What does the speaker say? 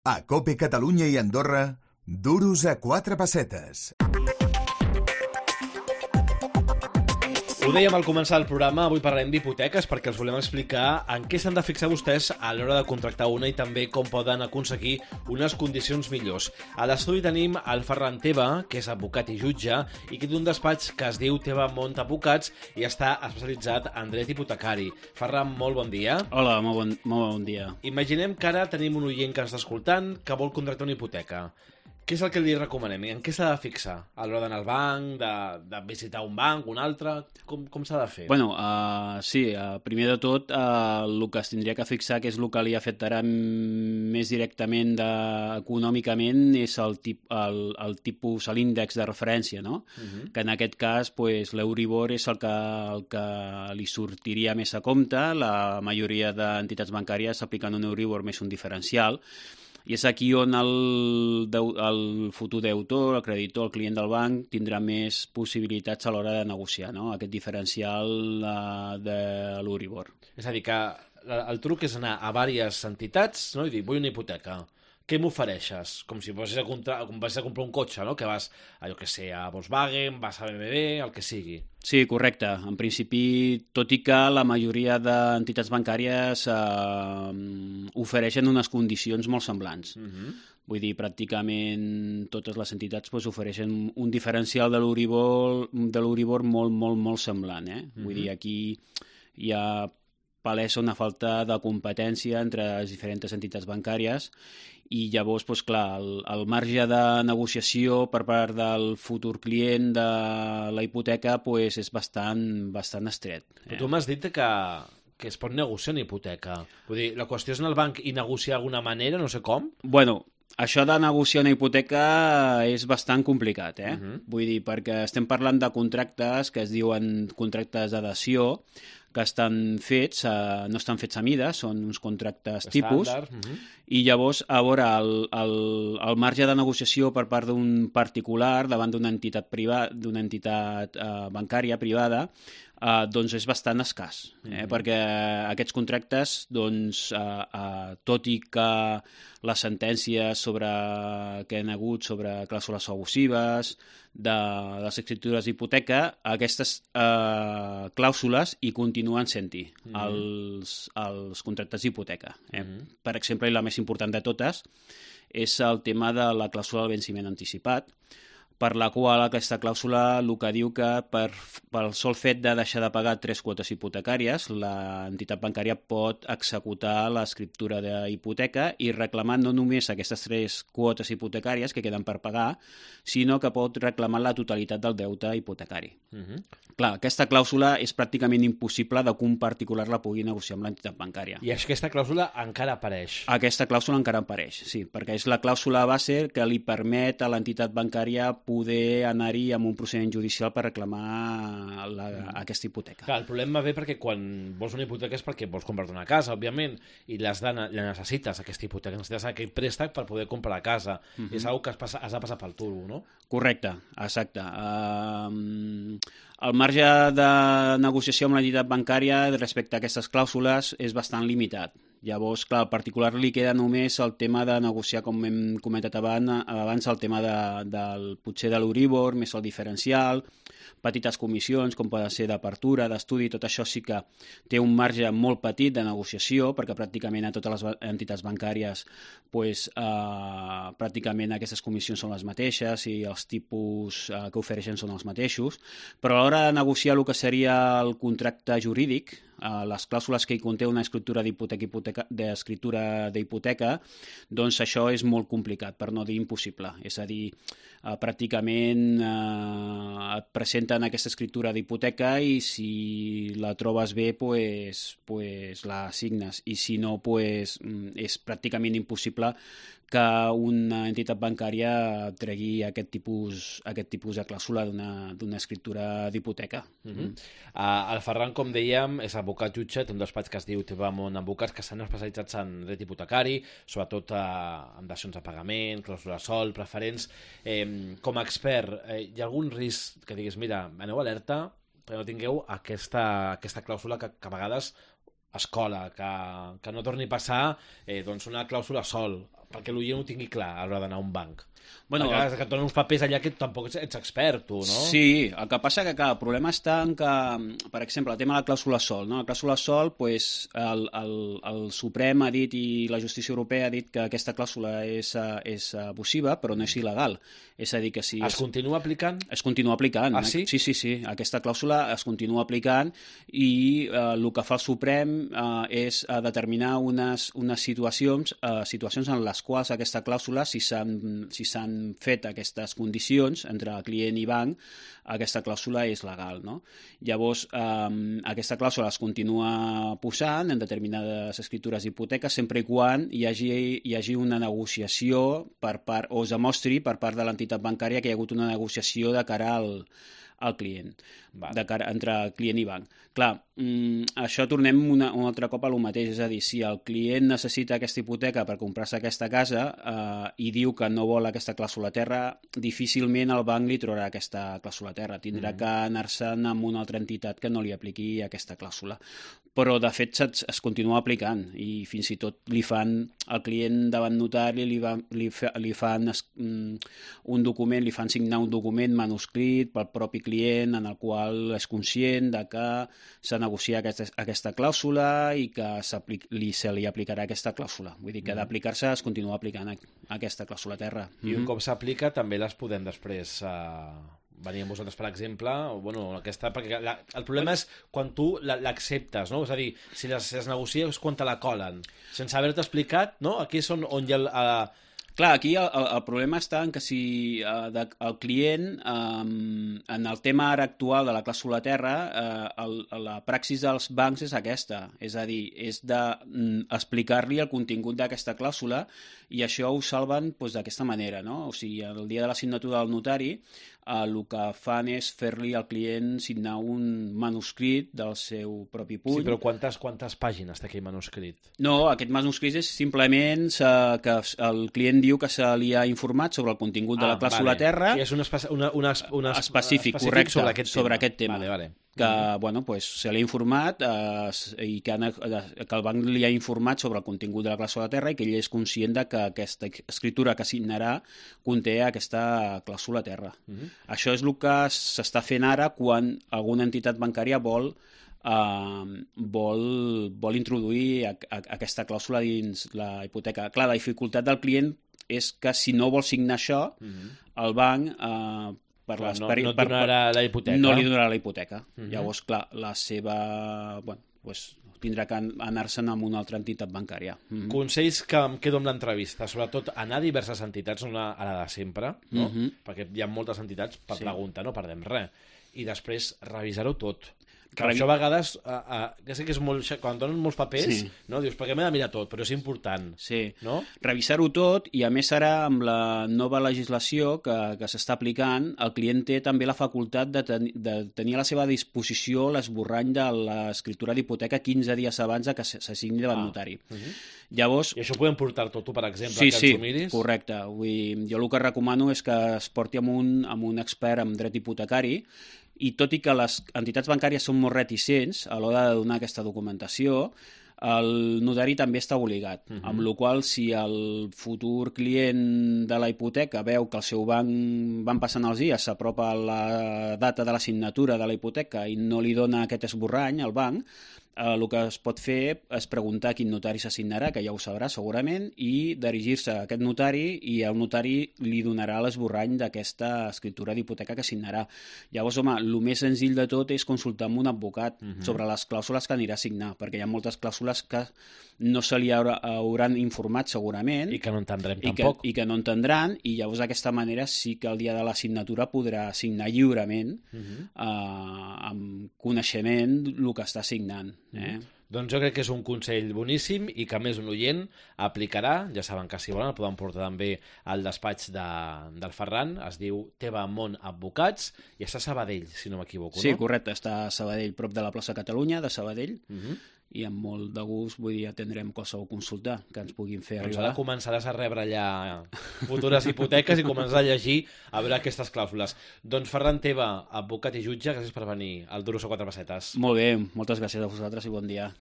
A COPE Catalunya i Andorra, duros a 4 pessetes. Ho dèiem al començar el programa, avui parlarem d'hipoteques perquè els volem explicar en què s'han de fixar vostès a l'hora de contractar una i també com poden aconseguir unes condicions millors. A l'estudi tenim el Ferran Teva, que és advocat i jutge, i que té un despatx que es diu Teva Mont Advocats i està especialitzat en dret hipotecari. Ferran, molt bon dia. Hola, molt bon dia. Imaginem que ara tenim un oient que ens està escoltant que vol contractar una hipoteca. Què és el que li recomanem? En què s'ha de fixar? A l'hora d'anar al banc, de visitar un banc, un altre? Com s'ha de fer? Bueno, primer de tot, el que es tindria que fixar, que és el que li afectarà més directament econòmicament, és el tipus, l'índex de referència, no? Que en aquest cas, l'Euribor és el que li sortiria més a compte. La majoria d'entitats bancàries apliquen un Euribor més un diferencial, i és aquí on el futur deutor, el creditor, el client del banc, tindrà més possibilitats a l'hora de negociar, no? Aquest diferencial de l'Euribor. És a dir, que el truc és anar a diverses entitats, no? I dir, vull una hipoteca. Què m'ofereixes? Com si vas a comprar un cotxe, no? Que vas a Volkswagen, vas a BMW, el que sigui. Sí, correcte. En principi, tot i que la majoria d'entitats bancàries ofereixen unes condicions molt semblants. Vull dir, pràcticament totes les entitats ofereixen un diferencial de l'Euribor molt semblant. Vull dir, aquí hi ha palesa una falta de competència entre les diferents entitats bancàries i llavors, clar, el marge de negociació per part del futur client de la hipoteca és bastant estret. Però tu m'has dit que es pot negociar una hipoteca. Vull dir, la qüestió és anar al banc i negociar d'alguna manera, no sé com? Bueno, això de negociar una hipoteca és bastant complicat, Vull dir, perquè estem parlant de contractes que es diuen contractes d'adhesió, que estan fets, no estan fets a mida, són uns contractes tipus, i llavors, a veure, el marge de negociació per part d'un particular davant d'una entitat bancària privada, doncs és bastant escàs, perquè aquests contractes, doncs, tot i que les sentències que han hagut sobre clàusules abusives, de les escriptures d'hipoteca, aquestes clàusules hi continuen sent-hi, els contractes d'hipoteca. Per exemple, i la més important de totes és el tema de la clàusula del venciment anticipat, per la qual aquesta clàusula el que diu que pel sol fet de deixar de pagar 3 quotes hipotecàries, l'entitat bancària pot executar l'escriptura d'hipoteca i reclamar no només aquestes 3 quotes hipotecàries que queden per pagar, sinó que pot reclamar la totalitat del deute hipotecari. Clar, aquesta clàusula és pràcticament impossible que un particular la pugui negociar amb l'entitat bancària. I aquesta clàusula encara apareix? Aquesta clàusula encara apareix, sí, perquè és la clàusula base que li permet a l'entitat bancària poder anar-hi amb un procediment judicial per reclamar aquesta hipoteca. Clar, el problema ve perquè quan vols una hipoteca és perquè vols comprar una casa, òbviament, i la necessites, aquesta hipoteca, necessites aquell préstec per poder comprar la casa. És una cosa que has de passar pel turbo, no? Correcte, exacte. El marge de negociació amb l'entitat bancària respecte a aquestes clàusules és bastant limitat. Llavors, clar, al particular li queda només el tema de negociar, com hem comentat abans, el tema potser de l'Euribor, més el diferencial, petites comissions, com poden ser d'apertura, d'estudi, tot això sí que té un marge molt petit de negociació, perquè pràcticament a totes les entitats bancàries pràcticament aquestes comissions són les mateixes i els tipus que ofereixen són els mateixos, però a l'hora de negociar el que seria el contracte jurídic, les clàusules que hi conté una escriptura d'hipoteca, doncs això és molt complicat, per no dir impossible. És a dir, pràcticament et presenten aquesta escriptura d'hipoteca i si la trobes bé, la signes, i si no, és pràcticament impossible que una entitat bancària tregui aquest tipus de clàusula d'una escriptura d'hipoteca. El Ferran, com dèiem, és advocat jutge, té un despatx que es diu Teva Mont Advocats, que estan especialitzats en dret hipotecari, sobretot en dacions de pagament, clàusules sol, preferents. Com a expert, hi ha algun risc que diguis, mira, aneu alerta, perquè no tingueu aquesta clàusula que a vegades es cola, que no torni a passar una clàusula sol. perquè l'oient ho tingui clar a l'hora d'anar a un banc. Bueno, perquè que et donen uns papers allà que tampoc ets expert, tu, no? Sí, el que passa que, clar, el problema està en que, per exemple, el tema de la clàusula sol, no? La clàusula sol, pues, el Suprem ha dit i la justícia europea ha dit que aquesta clàusula és abusiva, però no és il·legal. És a dir, que si... Es continua aplicant? Es continua aplicant. Ah, sí? Sí. Aquesta clàusula es continua aplicant i el que fa el Suprem és determinar unes situacions en les quals aquesta clàusula, si s'han fet aquestes condicions entre client i banc, aquesta clàusula és legal, no? Llavors, aquesta clàusula es continua posant en determinades escritures d'hipoteca sempre i quan hi hagi una negociació per part, o es demostri per part de l'entitat bancària que hi ha hagut una negociació de cara al client, de cara entre client i banc. Clar, això tornem un altre cop a lo mateix, és a dir, si el client necessita aquesta hipoteca per comprar-se aquesta casa i diu que no vol aquesta clàusula terra, difícilment el banc li trobarà aquesta clàusula terra, tindrà que anar-se'n amb una altra entitat que no li apliqui aquesta clàusula. Però, de fet, es continua aplicant i fins i tot li fan al client davant notari, li fan un document, li fan signar un document manuscrit pel propi client en el qual és conscient de que s'ha negociat aquesta clàusula i que se li aplicarà aquesta clàusula. Vull dir que d'aplicar-se es continua aplicant aquesta clàusula terra. I un cop s'aplica també les podem després venir amb vosaltres, per exemple, perquè el problema és quan tu l'acceptes, no? És a dir, si es negocia és quan te la colen. Sense haver-te explicat, no? Aquí és on hi ha Clar, aquí el problema està en que si el client, en el tema ara actual de la clàusula terra, la praxis dels bancs és aquesta, és a dir, és d'explicar-li el contingut d'aquesta clàusula i això ho salven d'aquesta manera, no? O sigui, el dia de la signatura del notari, el que fan és fer-li al client signar un manuscrit del seu propi puny. Sí, però quantes pàgines té aquell manuscrit? No, aquest manuscrit és simplement que el client diu que se li ha informat sobre el contingut de la clàusula terra. I és un específic, correcte, sobre aquest tema. Vale. Que se li ha informat i que el banc li ha informat sobre el contingut de la clàusula de terra i que ell és conscient de que aquesta escritura que signarà conté aquesta clàusula terra. Això és el que s'està fent ara quan alguna entitat bancària vol introduir aquesta clàusula dins la hipoteca. Clar, la dificultat del client és que si no vol signar això, el banc no donarà la hipoteca. No li donarà la hipoteca. Llavors, clar, la seva... tindrà que anar-se'n amb una altra entitat bancària. Consells que em quedo amb l'entrevista, sobretot anar a diverses entitats, no a la de sempre, no? Perquè hi ha moltes entitats per preguntar, no perdem res. I després revisar-ho tot. Per això a vegades, ja sé que és molt... Quan donen molts papers, no? Dius, perquè m'he de mirar tot, però és important. Sí, no? Revisar-ho tot i a més ara amb la nova legislació que s'està aplicant, el client té també la facultat de tenir a la seva disposició l'esborrany de l'escriptura d'hipoteca 15 dies abans que s'assigni davant notari. Llavors... I això ho podem portar tot tu, per exemple, que ens ho miris? Sí, correcte. Jo el que recomano és que es porti amb un expert en dret hipotecari i tot i que les entitats bancàries són molt reticents a l'hora de donar aquesta documentació, el notari també està obligat, amb la qual cosa si el futur client de la hipoteca veu que el seu banc van passant els dies, s'apropa la data de la signatura de la hipoteca i no li dona aquest esborrany al banc, el que es pot fer és preguntar a quin notari s'assignarà, que ja ho sabrà segurament, i dirigir-se a aquest notari i el notari li donarà l'esborrany d'aquesta escriptura d'hipoteca que signarà. Llavors, home, el més senzill de tot és consultar amb un advocat sobre les clàusules que anirà a signar, perquè hi ha moltes clàusules que no se li hauran informat segurament i que no entendrem tampoc. I que no entendran, i llavors d'aquesta manera sí que el dia de la signatura podrà signar lliurement amb coneixement el que està signant. Doncs jo crec que és un consell boníssim i que a més un oient aplicarà. Ja saben que si volen el poden portar també al despatx del Ferran, es diu Teva Món Advocats i està a Sabadell, si no m'equivoco, no? Sí, correcte, està a Sabadell, prop de la plaça Catalunya de Sabadell, i amb molt de gust atendrem qualsevol consulta que ens puguin fer arribar. Doncs ara començaràs a rebre allà futures hipoteques i començar a llegir a veure aquestes clàusules. Doncs Ferran Teva, advocat i jutge, gràcies per venir al Duros a 4 pessetes. Molt bé, moltes gràcies a vosaltres i bon dia.